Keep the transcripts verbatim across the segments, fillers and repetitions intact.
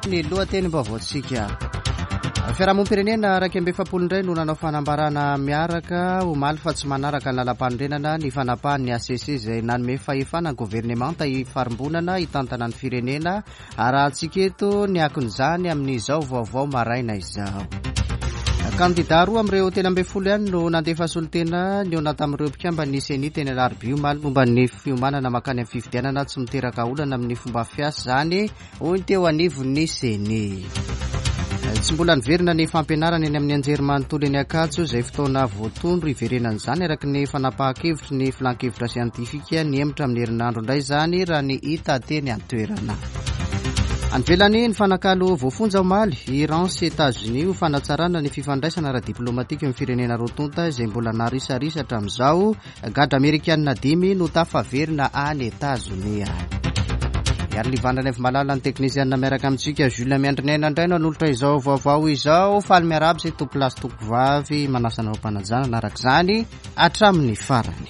Ny lohatenim-baovaontsika. Fiarahamonim-pirenena iraika amby efapolo indray no nanao fanambarana miaraka omaly fa tsy manaraka ny lalam-panorenana ny fanapahan'ny H C C izay nanome fahefana ny governemanta ifarimbonana hitantana ny firenena. Arahantsika eto ny akon'izany amin'izao vaovao maraina izao. Kandida roa amin'ireo telo ambin'ny folo ihany no nandefa solontena nihaona tamin'ireo mpikambana CENI teny Alarobia omaly momba ny fiomanana makany amin'ny fifidianana tsy miteraka olana amin'ny fomba fiasa izany, hoy ny teo anivon'ny CENI. Tsy mbola niverina ny fampianarana eny amin'ny anjerimanontolo eny Ankatso izay fotoana voatondro hiverenan'izany araka ny fanapahan-kevitry ny filan-kevitra siantifika. Nihemotra amin'ny herinandro indray izany raha ny hita teny an-toerana. Any ivelany, ny fanakalo voafonja omaly Iran sy États-Unis ho fanatsarana ny fifandraisana ara-diplomatika amin'ny firenena roa tonta izay mbola narisarisa hatramin'izao. Gadra amerikanina dimy no tafaverina any Etazonia. Ary livandrany avy malala ny teknisianina miaraka amintsika. Jules Miandrinaina indray no anolotra izao vaovao izao. Faly miarahaba izay tompo lahy sy tompo vavy, manasa anao am-panajana araka izany hatramin'ny farany.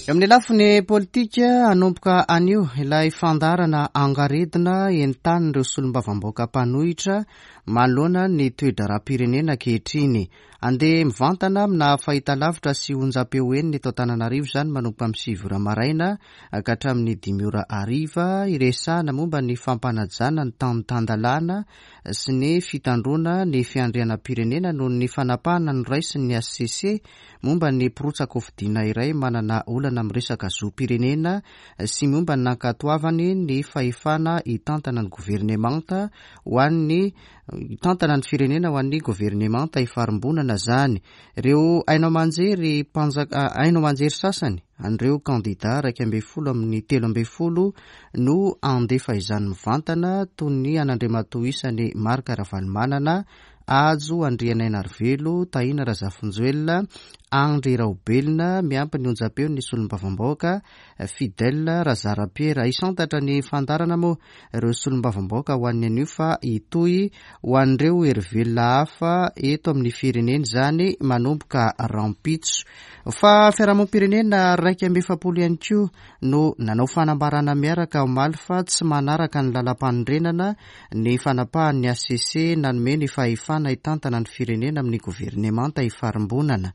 Eo amin'ny lafiny politika, hanomboka anio ilay fandaharana angaredina entanin'ireo solombavambahoaka mpanohitra manoloana ny toe-draharaham-pirenena ankehitriny. Andeha mivantana amina fahitalavitra sy onjam-peo enina eto Antananarivo izany manomboka amin'ny sivy ora maraina ka hatramin'ny dimy ora hariva, iresahana momba ny fampanajana ny tany tan-dalàna sy ny fitandroana ny fiandrianam-pirenena noho ny fanapahana noraisin'ny H C C momba ny mpirotsaka hofidiana iray manana olana amin'ny resaka zom-pirenena sy momba ny nankatoavany ny fahefana hitantana ny governemanta ho an'ny hitantana ny firenena ho an'ny governemanta ifarimbonana zany. Ireo haino aman-jery mpanjaka, haino aman-jery sasany an'ireo kandida iraika ambin'ny folo amin'ny telo ambin'ny folo no andefa izany mivantana, toy ny an'Andriamatoa isany Marc Ravalomanana, Hajo Andrianainarivelo, Tahina Razafinjoelina, Andry Raobelina, miampy ny onjam-peo ny solombavambahoaka Fidèle Razarapiera. Hisantatra ny fandaharana moa ireo solombavambahoaka ho an'ny anio, fa hitohy ho an'ireo herivelona hafa eto amin'ny firenena izany manomboka rahampitso. Fa fiarahamonim-pirenena iraika amby efapolo ihany koa no nanao fanambarana miaraka omaly fa tsy manaraka ny lalam-panorenana ny fanapahan'ny H C C nanome ny fahefana hitantana ny firenena amin'ny governemanta ifarimbonana.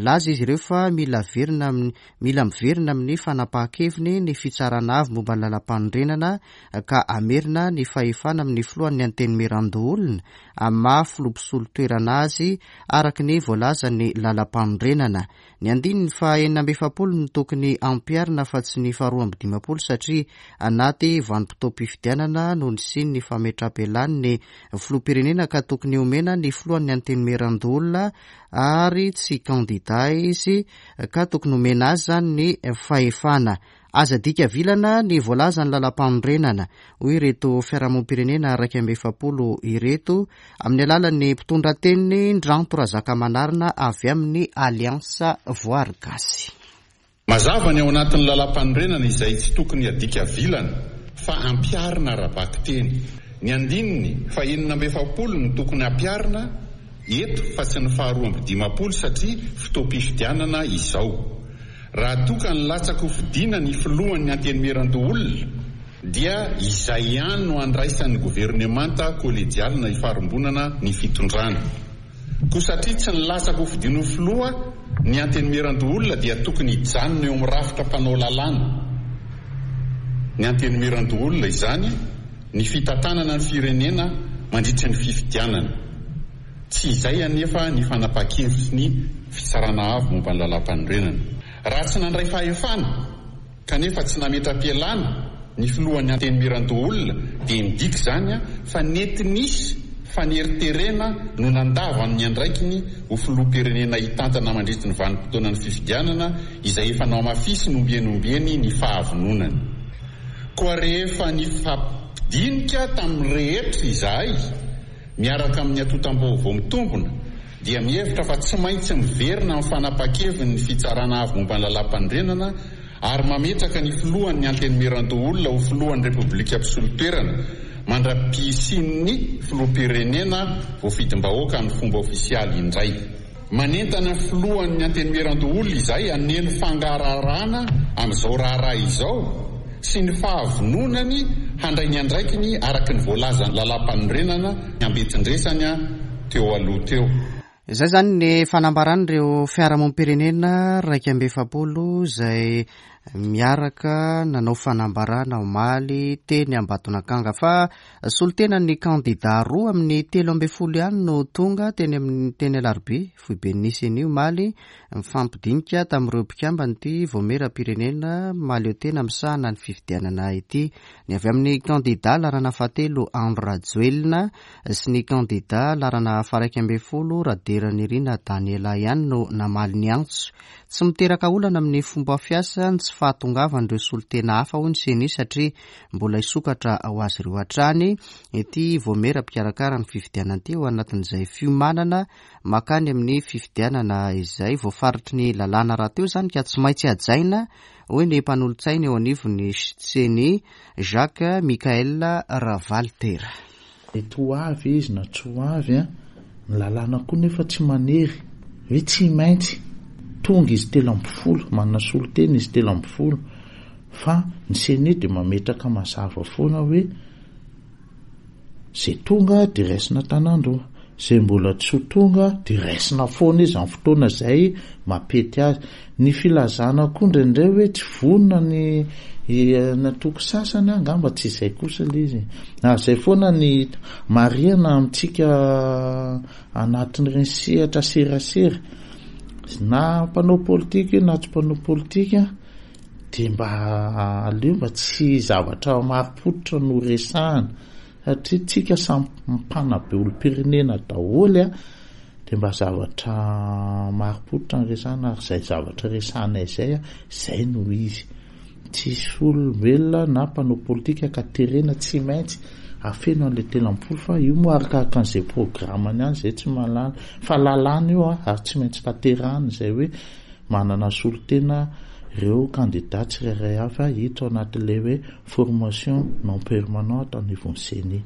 Laza izy ireo fa mila verina amin'ny mila miverina amin'ny fanapahan-keviny ny fitsarana avo momba ny lalam-panorenana ka amerina ny fahefana amin'ny filohan'ny antenimierandoholona amin'ny maha filoha mpisolo toerana azy araka ny voalazan'ny lalam-panorenana. Ny andininy fa enina amby efapolo no tokony ampiharina fa tsy ny faharoa amby dimampolo, satria anaty vanim-potoam-pifidianana no nisian'ny fametraham-pialany filoham-pirenena, ka tokony omena ny filohan'ny antenimierandoholona ary tsy kandida izy ka tokony omena azy zany ny fahefana. Aza dika vilana ny voalaza ny lalam-panorenana, hoy ireto fiarahamonim-pirenena iraika amby efapolo ireto amin'ny alalan'ny mpitondra teniny Ndranto Razakamanarina avy amin'ny Alliance Voary Gasy. Mazava ny ao anatin'ny lalam-panorenana izay tsy tokony adika vilana fa ampiharina ara-bakiteny. Ny andininy fa enina amby efapolo no tokony ampiharina eto fa tsy ny faharoa amby dimampolo, satria fotoam-pifidianana izao. Raha toka ny latsaka hofidiana ny filohan'ny antenimierandoholona, dia izay ihany no andraisan'ny governemanta kollegialina ifarimbonana ny fitondrana. Ko satria tsy ny latsaka hofidiana ho filoha ny antenimierandoholona, dia tokony hijanona eo amin'ny rafitra mpanao lalàna ny antenimierandoholona izany ny fitantanana ny firenena mandritra ny fifidianana. Tsy izay anefa ny fanapahan-kevitry ny fitsarana avo momba ny lalam-panorenana. Raha tsy nandray fahefana kanefa tsy nametra-pialana ny filohan'ny antenimierandoholona, dia midika izany a fa nety nisy faneriterena no nandavany ny andraikiny ho filoham-pirenena hitantana mandritry ny vanim-potoana ny fifidianana izay efa nohamafisiny ombieny ombieny ny fahavononany. Koa rehefa nifampidinika tamin'ny rehetra izahay miaraka amin'ny antontam-baovao mitombona, dia mihevitra fa tsy maintsy miverina amin'ny fanapahan-keviny ny fitsarana avo momba ny lalam-panorenana ary mametraka ny filohan'ny antenimierandoholona ho filohan'ny Repoblika mpisolo toerana mandra-pisian'ny filoham-pirenena voafidim-bahoaka amin'ny fomba ofisialy indray. Manentana filohan'ny antenimierandoholona izay haneno fangarahana amin'izao raharaha izao. sy ny fahavononany handray ny andraikiny araka ny voalazan'ny lalàm-panorenana ambetindresany teo aloha teo. Izay izany ny fanambaran'ireo fiarahamonim-pirenena iraika amby efapolo izay miaraka nanao fanambarana omaly teny Ambatonakanga, fa solontenan'ny kandida roa amin'ny telo ambin'ny folo ihany no tonga teny amin'ny teny Alarobia foiben'ny CENI omaly mifampidinika tamin'ireo mpikambana ity vaomieram-pirenena mahaleo tena misahana ny fifidianana ity. Ny avy amin'ny kandida laharana fahatelo Andry Rajoelina sy ny kandida laharana faha-iraika ambin'ny folo Raderanirina Daniela ihany no namaly ny antso. Tsy miteraka olana amin'ny fomba fiasa ny tsy fahatongavan'ireo solontena hafa hoy ny CENI, satria mbola hisokatra ho azy ireo hatrany ity vaomiera mpikarakara ny fifidianana ity ao anatin'izay fiomanana makany amin'ny fifidianana izay voafaritry ny lalàna rahateo izany ka tsy maintsy hajaina hoy ny mpanolotsaina eo anivon'ny CENI Jacques Michael Ravalitera. Mety ho avy izy na tsy ho avy, ny lalàna koa nefa tsy manery hoe tsy maintsy tonga izy telo amby folo, manana solontena izy telo amby folo, fa ny CENI dia mametraka mazava foana hoe zay tonga dia raisina an-tanandroa, zay mbola tsy ho tonga dia raisina foana izy amin'ny fotoana izay mampety azy. Ny filazana koa indraindray hoe tsy vonona ny antoko sasany, angamba tsy izay kosa ilay izy. Ary izay foana ny marihana amintsika anatin'ireny sehatra serasera, na mpanao politika io na tsy mpanao politika, dia mba aleo mba tsy zavatra marim-pototra no resahana, satria tsika samy mpanabe olom-pirenena daholo, dia mba zavatra marim-pototra no resahana, ary izay zavatra resahana izay, izay no izy. Tsisy olombelona na mpanao politika ka terena tsy maintsy afeno an'ilay telo amby folo, fa io moa arakaraka an'izay programany ihany izay tsy mahalala, fa lalàna io ary tsy maintsy tanterahana izay hoe manana solontena ireo kandida tsirairay avy hita ao anatin'ilay hoe formation non permanente anivon'ny CENI.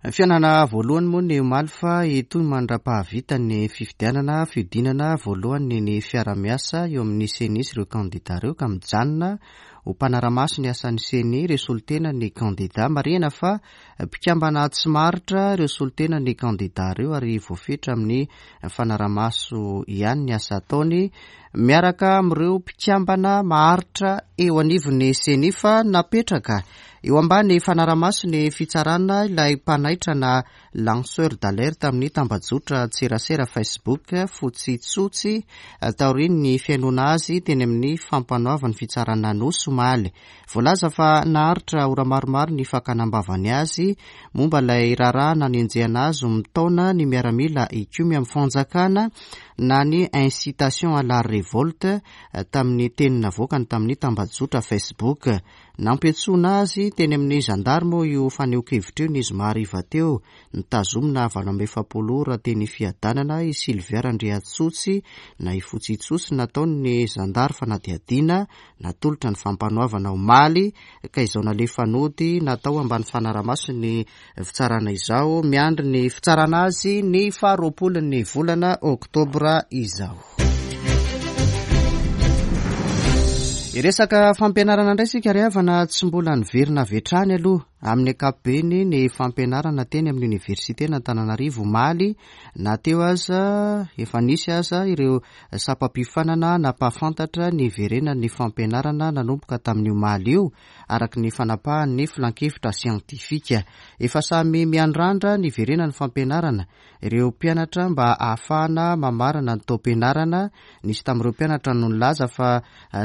Fihaonana voalohany moa ny omaly fa hitohy mandra-pahavita ny fifidianana fihodinana voalohany ny fiarahamiasa eo amin'ny CENI sy ireo kandida ireo, ka mijanona ho mpanara-maso ny asan'ny CENI ireo solontena ny kandida. Marihina fa mpikambana tsy maharitra ireo solontena ny kandida ireo ary voafetra amin'ny fanarahamaso ihany ny asa ataony miaraka amin'ireo mpikambana maharitra eo anivon'ny CENI, fa napetraka eo ambany fanarahamaso ny fitsarana ilay mpanaitra na lanceur d'alerte amin'ny tambajotra tserasera Facebook Fotsy taorian'ny fihainoana azy teny amin'ny fampanoavan'ny fitsarana Anosy omaly. Voalaza fa naharitra ora maromaro ny fakana am-bavany azy momba ilay raharaha nanenjehana azy mitaona ny miaramila hikomy amin'ny fanjakana na ny incitation à la révolte tamin'ny teny navoakany tamin'ny tambajotra Facebook. Nampiantsoana azy teny amin'ny gendarme io fanehoan-kevitra io ny zoma hariva teo. Nitazomina valo amby efapolo ora teny Fiadanana i Sylvia Randriantsotsy na i Fotsitsosy nataon'ny zandary fanadihadiana natolotra ny fampanoavana omaly, ka izao nalefa nody natao ambany fanarahamaso ny fitsarana izao. Miandry ny fitsarana azy ny faharoapolon'ny volana oktobra izao. Iresaka fampianarana indray isika ry havana, tsy mbola niverina avy hatrany aloha amin'ny ankapobeny ny fampianarana teny amin'ny oniversiten'Antananarivo omaly, na teo aza efa nisy aza ireo sampam-piofanana nampahafantatra ny hiverenan'ny fampianarana nanomboka tamin'ny omaly io, araka ny fanapahan'ny filankevitra siantifika. Efa samy miandrandra ny hiverenan'ny fampianarana ireo mpianatra mba ahafahana mamarana ny taom-pianarana. Nisy tamin'ireo mpianatra no nilaza fa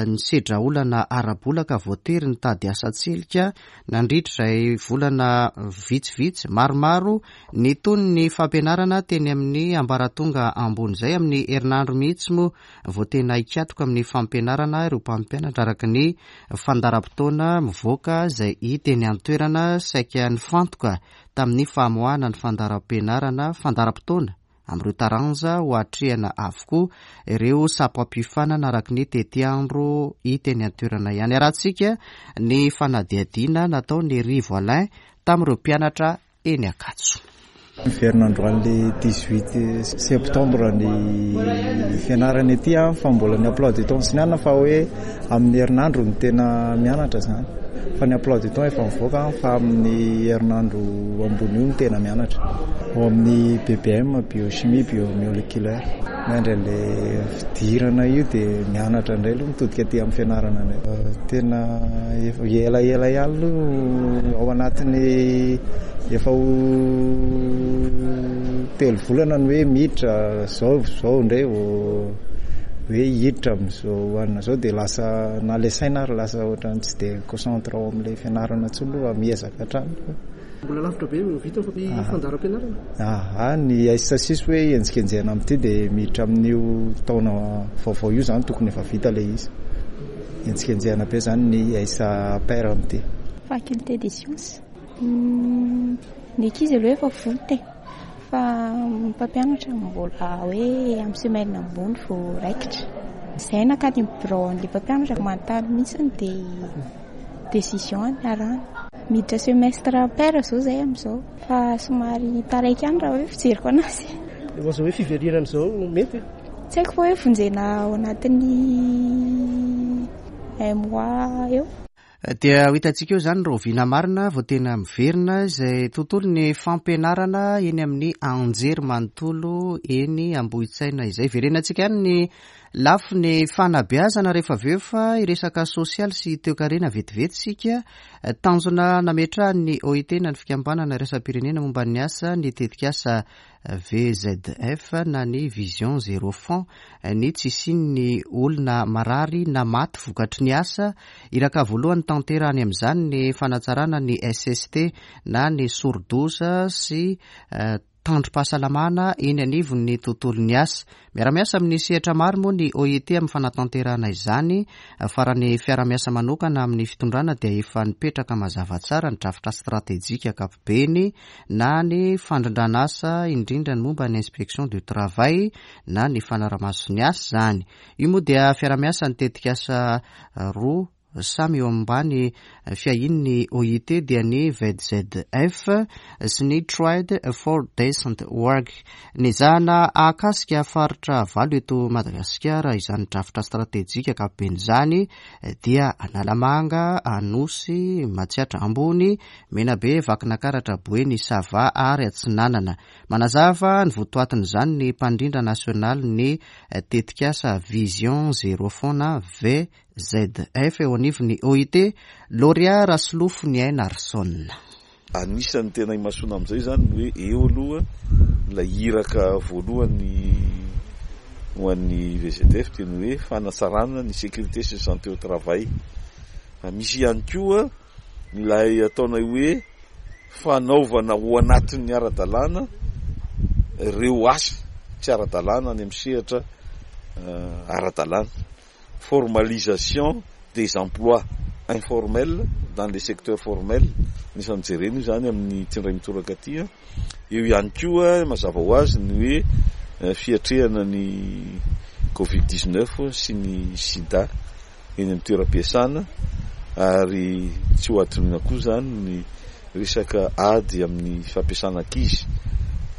nisedra olana ara-bola ka voatery nitady asa tselika nandritra izay volana vitsivitsy maromaro nitony ny fampianarana teny amin'ny ambaratonga ambony izay. Amin'ny herinandro mihitsy moa vao tena hikatoka amin'ny fampianarana ireo mpampianatra araka ny fandaharam-potoana mivoaka izay hita eny an-toerana. Saika nifantoka tamin'ny famoahana ny fandaharam-pianarana fandaharam-potoana amin'ireo taranja ho atrehana avokoa ireo sampam-piofanana araka ny tetiandro hita eny an-toerana ihany. Arahantsika ny fanadihadiana nataon'i Rivo Alain tamin'ireo mpianatra eny Ankatso. Miverina androany le dix-huit septembre ny fianarana ety, fa mbola ny emploi du temps sy ny anona, fa hoe amin'ny herinandro no tena mianatra zany. Fa ny emploi du temps efa mivoaka fa amin'ny herinandro ambony io no tena mianatra. Ao amin'ny B B M, biochimie biomoléculaire. Miandry an'ilay fidirana io dia mianatra indray aloha, mitodika aty amin'ny fianarana indray. Tena efa elaela ihany aloha, ao anatin'ny efa ho telo volana ny hoe miditra zao zao indray vao hoe hiditra amin'izao anina zao, dia lasa na le saina ary lasa ohatrany tsy dia concentré ao amin'ilay fianarana intsony aloha, miezaka hatrany. Mbola lavitra be vita fa fandaharam-pianarana? Aha, ny S six hoe enjikenjehana amin'ity dia miditra amin'io taona vaovao io zany tokony efa vita ilay izy. Enjikenjehana be zany ny S pair amin'ity. Faculté des sciences. Ny ankizy aloha efa vonona e, fa mpampianatra mbola hoe amin'ny semaine ambony vao raikitra. Izay nankany amin'ny bureau an'ilay mpampianatra manontany mihitsy dia décision ny arahana. Miditra semestre pair zao zay amin'izao fa somary taraiky ihany raha hoe fijeriko anazy. Zao hoe fiverenana izao mety? Tsy haiko fa hoe vonjena ao anatin'ny un mois eo. Dia ho hitantsika eo izany rahoviana marina vao tena miverina izay tontolo ny fampianarana eny amin'ny anjery manontolo eny Ambohitsaina izay. Verenantsika ihany ny lafiny fanabeazana rehefa avy eo fa hiresaka sosialy sy toekarena vetivety sika. Tanjona nametrahan'ny O I T na ny fikambanana iraisam-pirenena momba ny asa ny tetikasa V Z F na ny Vision Zéro Fonds ny tsy hisian'ny olona marary na maty vokatry ny asa. Iraka voalohany tanterahany amin'izany ny fanatsarana ny S S T na ny sorodoza sy tandrom-pahasalamana eny anivon'ny tontolo ny asa. Miara-miasa amin'ny sehatra maro moa ny O I T amin'ny fanatanterahana izany, fa raha ny fiarahamiasa manokana amin'ny fitondrana dia efa nipetraka mazava tsara ny drafitra stratejika ankapobeny na ny fandrindrana asa, indrindra ny momba ny inspection du travail na ny fanarahamaso ny asa zany. Io moa dia fiarahamiasa ny tetikasa roa samy eo ambany fiahian'ny O I T, dia ny V Z F sy ny Trade for Decent Work. Nezahana ahakasika faritra valo eto Madagasikara izany drafitra stratejika ankapobeny izany, dia Analamanga, Anosy, Matsiatra Ambony, Menabe, Vakinankaratra, Boeny, Sava ary Atsinanana. Manazava ny votoatin'izany ny mpandrindra nasionaly ny tetikasa Vision Zéro Fonds na V Z F eo anivon'ny O I T, Loria Rasolofo ny Aina Arson. Anisan'ny tena imasoana amin'izay zany ny hoe eo aloha ilay iraka voalohany ho an'ny V Z F dia ny hoe fanatsarana ny sécurité sy santé au travail. Fa misy ihany koa ilay ataonay hoe fanaovana ho anatin'ny ara-dalàna reo asa tsy ara-dalàna any amin'ny sehatra ara-dalàna, formalisation des emplois informels dans les secteurs formels. Anisan'ny jerena io zany amin'ny tsindray mitoraka aty a. Eo ihany koa mazava ho azy ny hoe fiatrehana ny covid dix-neuf sy ny sida eny amin'ny toeram-piasana, ary tsy ho adinoina koa zany ny resaka ady amin'ny fampiasana ankizy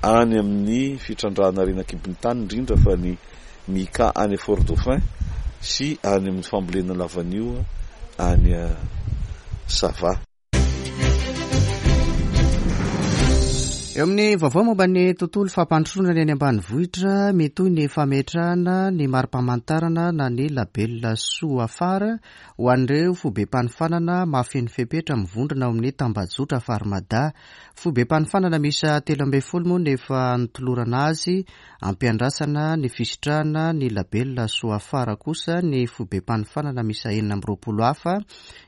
any amin'ny fitrandrahana harena an-kibon'ny tany, indrindra fa ny mica any Fort Dauphin sy any amin'ny fambolena lavanio any Sava. Eo amin'ny vaovao momba ny tontolo fampandrosoana ny any ambanivohitra, mitohy ny fametrahana ny mari-pamantarana na ny label Soafara ho an'ireo foibem-panofanana mahafeno fepetra mivondrona ao amin'ny tambajotra Farmada. Foibem-panofanana miisa telo ambin'ny folo moa no efa notolorana azy. Ampiandrasana ny fisitrahana ny label Soafara kosa ny foibem-panofanana miisa enina amby roapolo hafa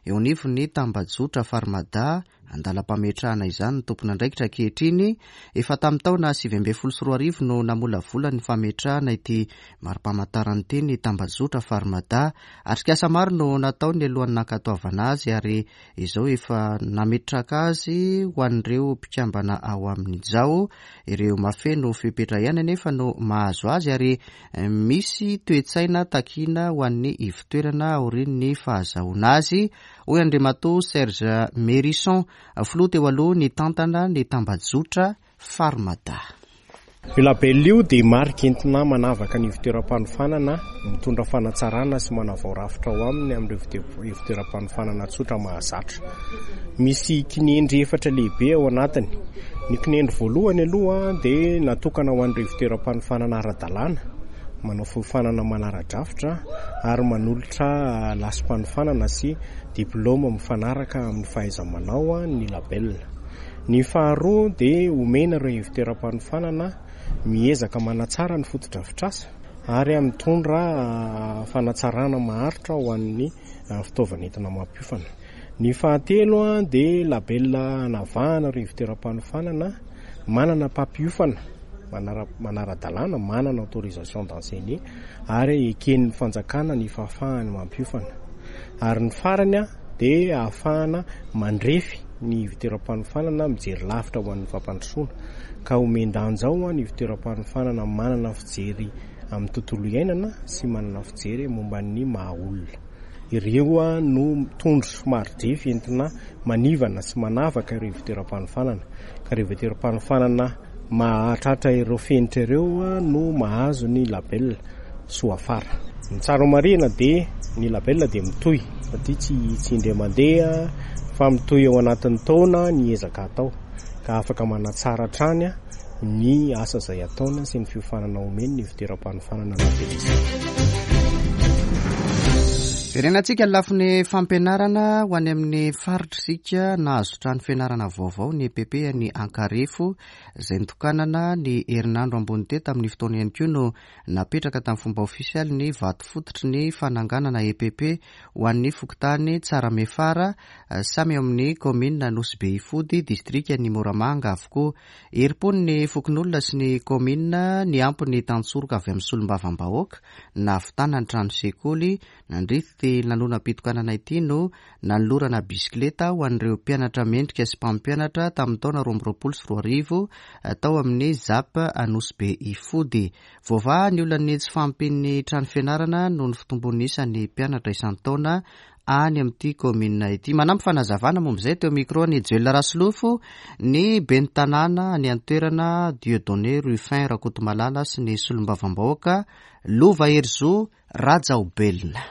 eo anivon'ny tambajotra Farmada. Andalam-pametrahana izany ny tompon'andraikitra ankehitriny. Efa tamin'ny taona sivy ambin'ny folo sy roa arivo no namolavola ny fametrahana ity mari-pamantarana ity ny tambajotra Farmada. Atrikasa maro no natao ny alohan'ny nankatoavana azy, ary izao efa nametraka azy ho an'ireo mpikambana ao amin'izao. Ireo mahafeno fepetra ihany anefa no mahazo azy, ary misy toe-tsaina takiana ho an'ny ivotoerana aorian'ny fahazahoana azy, hoy Andriamatoa Serge Merison, filoha teo aloha ny tantana ny tambajotra Farmada. Io label io dia marika entina manavaka ny ivon-toeram-panofanana, mitondra fanatsarana sy manavao rafitra ao aminy amin'ireo ivon-toeram-panofanana tsotra mahazatra. Misy kinendry efatra lehibe ao anatiny. Ny kinendry voalohany aloha dia natokana ho an'ireo ivon-toeram-panofanana ara-dalàna, manao fiofanana manara-drafitra ary manolotra lasim-panofanana sy diplaoma mifanaraka amin'ny fahaiza-manao ny label. Ny faharoa dia omena ireo ivon-toeram-panofanana miezaka manatsara ny fotodrafitrasa ary mitondra fanatsarana maharitra ho an'ny fitaovana entina mampiofana. Ny fahatelo dia label anavahana ireo ivon-toeram-panofanana manana mpampiofana manara-dalàna, manana autorisation d'enseigner ary eken'ny fanjakana ny fahafahany mampiofana. Ary ny farany dia ahafahana mandrefy ny ivon-toeram-panofanana mijery lavitra ho an'ny fampandrosoana, ka omen-danja ao ny ivon-toeram-panofanana manana fijery amin'ny tontolo iainana sy manana fijery momba ny maha olona. Ireo no tondro maridrefy entina manivana sy manavaka ireo ivon-toeram-panofanana, ka ireo ivon-toeram-panofanana mahatratra ireo fenitra ireo no mahazo ny label Soafara. Ny tsara marihina dia ny label dia mitohy satria tsy tsy indray mandeha fa mitohy ao anatin'ny taona ny ezaka atao, ka afaka manatsara hatrany ny asa izay ataony sy ny fiofanana omeny ny ivon-toeram-panofanana labelisé. Verenantsika ny lafiny fampianarana ho any amin'ny faritra isika. Nahazo trano fianarana vaovao ny E P P ny Ankarefo izay nitokanana ny herinandro ambony teo. Tamin'ny fotoana ihany koa no napetraka tamin'ny fomba ofisialy ny vato fototry ny fananganana E P P ho an'ny fokontany Tsaramefara, samy eo amin'ny kaominina Nosy Be Ifody, distrikan'i Moramanga avokoa. Herim-pony ny fokonolona sy ny kaominina niampy ny tantsoroka avy amin'ny solombavambahoaka nahavitana ny trano sekoly. Nandritra ity lanonam-pitokanana ity no nanolorana bisikileta ho an'ireo mpianatra mendrika sy mpampianatra tamin'ny taona roa amby roapolo sy roa arivo tao amin'ny ZAP Nosy Be Ifody. Voavaha ny olan'ny tsy fahampian'ny trano fianarana noho ny fitombon'ny isan'ny mpianatra isan-taona any amin'ity kaominina ity. Manampy fanazavana momba izay teo micro ny Joel Rasolofo, ny ben'ny tanàna any an-toerana Dieudonné Ruffin Rakotomalala sy ny solombavambahoaka Lova Herizo Rajaobelina.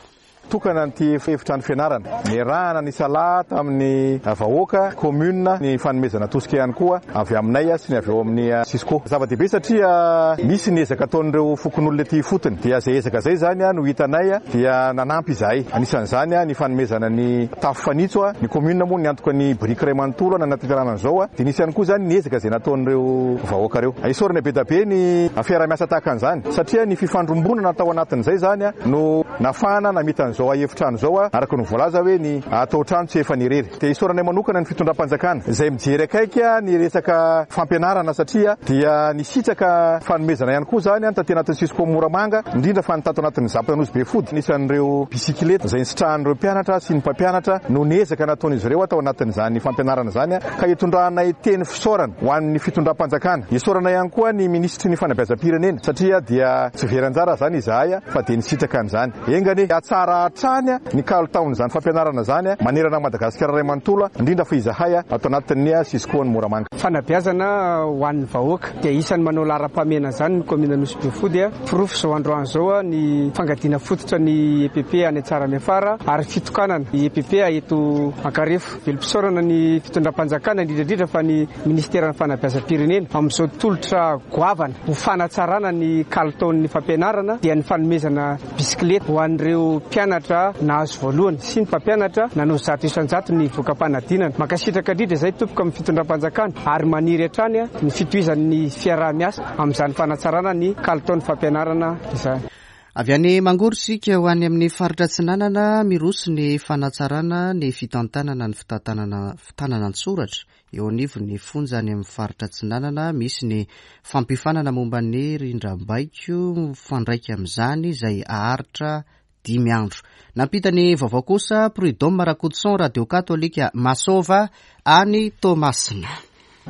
Tokana an'ity efitrano fianarana niarahana ny sala tamin'ny vahoaka commune, ny fanomezana tosika ihany koa avy aminay sy ny avy eo amin'ny Cisco. Zava-dehibe satria misy ny ezaka ataon'ireo fokonolona ety ifotony, dia izay ezaka izay zany no hitanay dia nanampy izahay. Anisan'izany ny fanomezana ny tafo fanitso, ny commune moa niantoka ny biriky iray manontolo nanatanterahana an'izao, dia nisy ihany koa zany ny ezaka izay nataon'ireo vahoaka ireo. Isaorana be dia be ny fiaraha-miasa tahaka an'izany satria ny fifandrombonana tao anatin'izay zany no nafahana namita an'izao efitrano izao, araka ny voalaza hoe ny atao trano tsy efa nirery. Dia isaorana manokana ny fitondram-panjakana izay mijery akaiky ny resaka fampianarana satria dia nisitraka fanomezana ihany koa zany taty anatin'ny Cisco Moramanga, indrindra fa ny tato anatin'ny ZAP Nosy Be Fody. Anisan'ireo bisikileta izay nisitrahan'ireo mpianatra sy ny mpampianatra no niezaka nataon'izy ireo tao anatin'izany fampianarana izany, ka hitondranay teny fisaorana ho an'ny fitondram-panjakana. Isaorana ihany koa ny minisitry ny fanabeazam-pirenena satria dia tsy very anjara zany izahay fa dia nisitraka an'izany. Enga anie hatsara hatrany ny kalitaon'izany fampianarana zany manerana Madagasikara iray manontolo, indrindra fa izahay ato anatin'ny Cisco ny Moramanga. Fanabeazana ho an'ny vahoaka dia isan'ny manao laharam-pahamehana zany ny kaominina Nosy Be Fody. Porofo izao androany izao ny fangadiana fototra ny E P P any Tsaramefara ary fitokanana ny E P P eto Ankarefo. Velom-pisaorana ny fitondram-panjakana, indrindra indrindra fa ny ministeran'ny fanabeazam-pirenena amin'izao tolotra goavana ho fanatsarana ny kalitaon'ny fampianarana, dia ny fanomezana bisikileta ho an'ireo mpianatra nahazo voalohany sy ny mpampianatra nanao zato isan-jato ny voka-panadinana. Mankasitraka indrindra izay tompoko amin'ny fitondram-panjakana ary maniry hatrany ny fitohizan'ny fiaraha-miasa amin'izany fanatsarana ny kalitaon'ny fampianarana izany. Avy any Mangoro isika ho any amin'ny faritra Atsinanana, miroso ny fanatsarana ny fitantanana ny fitantanana fitanana an-tsoratra eo anivon'ny fonja any amin'ny faritra Atsinanana. Misy ny fampiofanana momba ny rindrambaiko mifandraika amin'izany izay aharitra dimy andro. Nampita ny vaovao kosa Prud'homme Rakotoson, Radio Katolika Masova any Toamasina.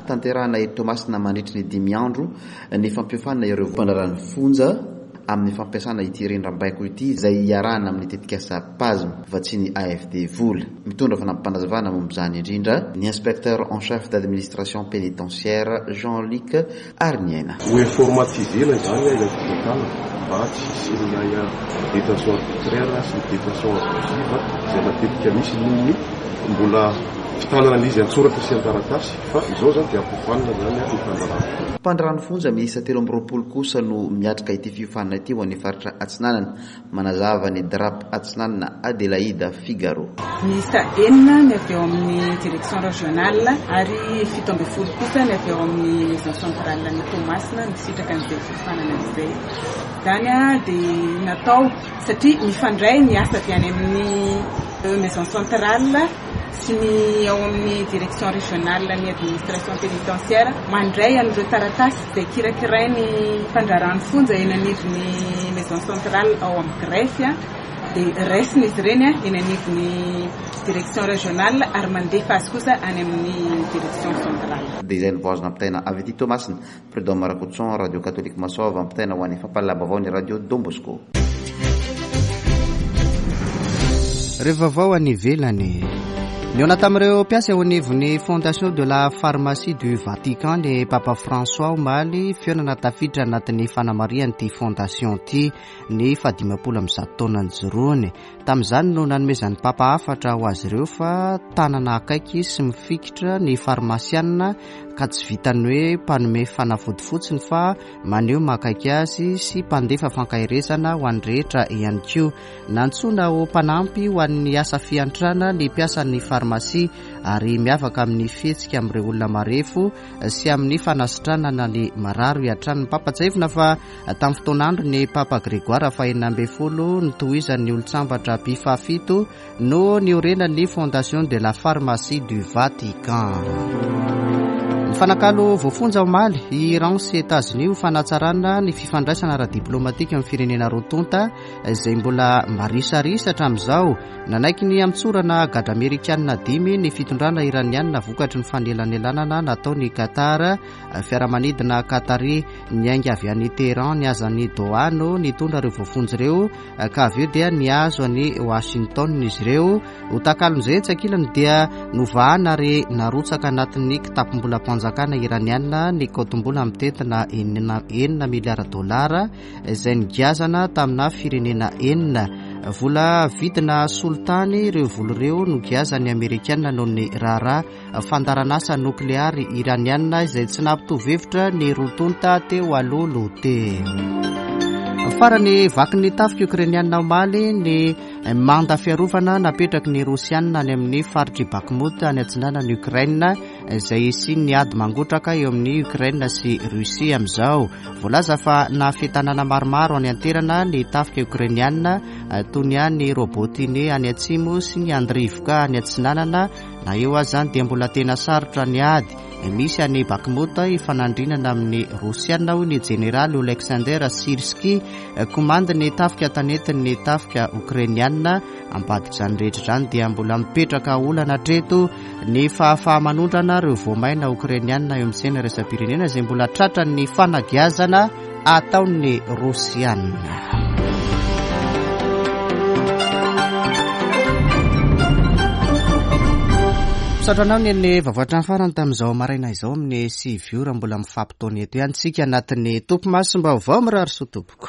Tanterahana eto Toamasina mandritry ny dimy andro ny fampiofanana ireo mpandraharahan'ny fonja amin'ny fampiasana ity rindrambaiko ity izay iarahana amin'ny tetikasa PASM vatsian'ny A F D vola. Mitondra fanampim-panazavana momba izany indrindra ny inspecteur en chef d'administration pénitentiaire Jean-Luc Arniaina. Ho informatisena izany ilay fitantanana mba tsy hisian'ilay détention arbitraire sy ny détention abusive izay matetika misy noho ny mbola fitanana an'izy an-tsoratra sy an-taratasy, fa izao zany dia ampofanina zany ny fandrarana. Mpandrano fonja miisa telo amby roapolo kosa no miatrika ity fiofanana ity ho an'ny faritra Atsinanana. Manazava ny D R A P Atsinanana Adelaida Figaro. Miisa enina ny avy eo amin'ny direction régionale ary fito ambin'ny folo kosa ny avy eo amin'ny maison centrale ny Toamasina nisitraka an'izay fiofanana izay. Izany dia natao satria mifandray ny asa avy any amin'ny maison centrale sy ny ao amin'ny direction régionale ny administration pénitentiaire mandray an'ireo taratasy izay kirakirainy mpandraharahan'ny fonja eny anivon'ny maison centrale ao amin'ny greffe, dia raisina izy ireny eny anivon'ny direction régionale ary mandefa azy kosa any amin'ny direction centrale. Dia izay no vao azo nampitaina avy aty Toamasina. Prud'homme Rakotoson, Radio Catholique Masova, ampitaina ho an'ny fampahalalam-baovao ny Radio Don Bosco. Rehefa vaovao any ivelany. Nihaona tamin'ireo mpiasa eo anivon'ny Fondation de la Pharmacie du Vatican ny Papa François omaly, fihaonana tafiditra anatin'ny fanamarihan'ity fondation ity ny fahadimampolo amby zato taona nijoroany. Tamin'izany no nanomezan'ny Papa hafatra ho azy ireo fa tanana akaiky sy mifikitra ny farmasianina ka tsy vitan'ny hoe mpanome fanafody fotsiny fa maneho mahakaiky azy sy mpandefa fankaherezana ho an'ny rehetra ihany koa. Nantsoina ho mpanampy ho an'ny asa fiantrana ny mpiasan'ny farmasia ary miavaka amin'ny fihetsika amin'ireo olona marefo sy amin'ny fanasitranana ny marary hatrany. Ny Papa tsiahivina fa tamin'ny fotoan'andro ny Papa Grégoire fahenina ambin'ny folo nitohizan'ny olon-tsambatra Pie fahafito no niorenan'ny Fondation de la Pharmacie du Vatican. Mifanakalo voafonja omaly i Iran sy États-Unis ho fanatsarana ny fifandraisana ara-diplomatika amin'ny firenena roa tonta izay mbola marisarisa hatramin'izao. Nanaiky ny hamotsorana gadra amerikanina dimy ny fitondrana iranianina vokatry ny fanelanelanana nataon'i Qatar. Fiaramanidina Qatari niainga avy any Tehran nihazo an'i Doha no nitondra ireo voafonja ireo ka avy eo dia nihazo an'i Washington izy ireo. Ho takalon'izay etsy ankilany dia novahana ary narotsaka anatin'ny kitapom-bolam-panjakana iranianina ny kaontim-bola mitentina enina, enina miliara dolara izay nigiazana tamina firenena enina. Vola vidina solitany ireo vola ireo no giazan'ny amerikanina noho ny raharaha fandaharanasa nokleary iranianina izay tsy nampitovy hevitra ny roa tonta teo aloha loha teo. Farany vakin'ny tafika ukrainianina omaly ny manda fiarovana napetraky ny Rosianina any amin'ny faritr'i Bakhmut any atsinanan'i Ukraine izay hisian'ny ady mangotraka eo amin'ny Ukraine sy Russie amin'izao. Voalaza fa nahafehy tanàna maromaro any an-toerana ny tafika ukrainianina toy ny any Robotine any atsimo sy ny Andrivka any atsinanana. Na eo aza izany dia mbola tena sarotra ny ady misy any Bakhmut ifanandrinana amin'ny Rosianina, hoy ny jeneraly Alexander Sirski, komandin'ny tafika tanetin'ny tafika ukrainianina. Ambadik'izany rehetra izany dia mbola mipetraka olana hatreto ny fahafaha-manondrana ireo voamaina ukrainianina eo amin'ny tsena iraisam-pirenena izay mbola tratran'ny fanagiazana ataon'ny Rosianina. Misaotra anao ny ny vaovao hatramin'ny farany tamin'izao maraina izao amin'ny sivy ora. Mbola mifampitaona eto ihany tsika anatin'ny topimasom-baovao. Mirary soa tompoko.